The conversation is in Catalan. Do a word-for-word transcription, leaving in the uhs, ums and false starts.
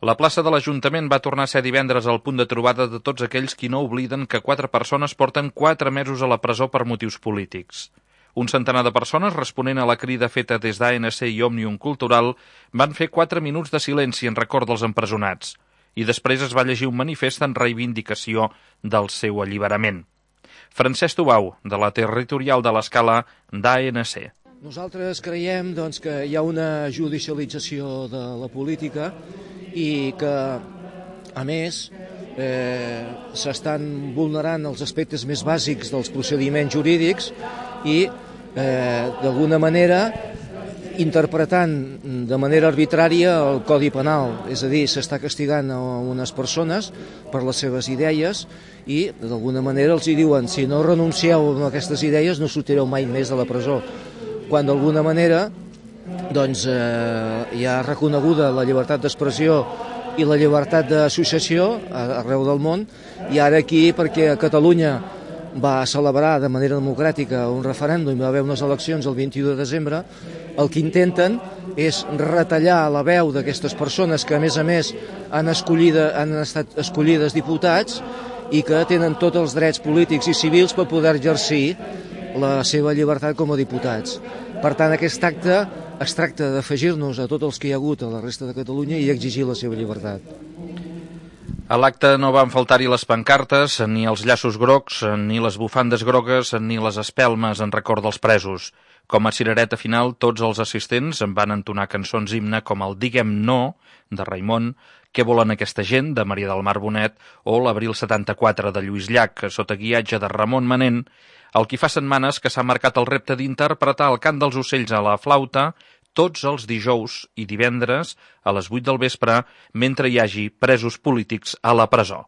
La plaça de l'Ajuntament va tornar a ser divendres el punt de trobada de tots aquells qui no obliden que quatre persones porten quatre mesos a la presó per motius polítics. Un centenar de persones, responent a la crida feta des d'A N C i Òmnium Cultural, van fer quatre minuts de silenci en record dels empresonats i després es va llegir un manifest en reivindicació del seu alliberament. Francesc Tubau, de la territorial de l'Escala d'A N C. Nosaltres creiem doncs, que hi ha una judicialització de la política i que, a més, eh, s'estan vulnerant els aspectes més bàsics dels procediments jurídics i, eh, d'alguna manera, interpretant de manera arbitrària el Codi Penal. És a dir, s'està castigant a unes persones per les seves idees i, d'alguna manera, els hi diuen si no renuncieu a aquestes idees no sortireu mai més de la presó. Quan, d'alguna manera, doncs, eh, hi ha reconeguda la llibertat d'expressió i la llibertat d'associació arreu del món, i ara aquí, perquè a Catalunya va celebrar de manera democràtica un referèndum i va haver unes eleccions el vint-i-u de desembre, el que intenten és retallar la veu d'aquestes persones que, a més a més, han, escollida, han estat escollides diputats i que tenen tots els drets polítics i civils per poder exercir la seva llibertat com a diputats. Per tant, aquest acte es tracta d'afegir-nos a tots els que hi ha hagut a la resta de Catalunya i exigir la seva llibertat. A l'acte no van faltar-hi les pancartes, ni els llaços grocs, ni les bufandes grogues, ni les espelmes en record dels presos. Com a cirereta final, tots els assistents en van entonar cançons himne com el Diguem No, de Raimon, Què volen aquesta gent, de Maria del Mar Bonet, o l'Abril setanta-quatre, de Lluís Llach, sota guiatge de Ramon Manent, el qui fa setmanes que s'ha marcat el repte d'interpretar el cant dels ocells a la flauta tots els dijous i divendres a les vuit del vespre mentre hi hagi presos polítics a la presó.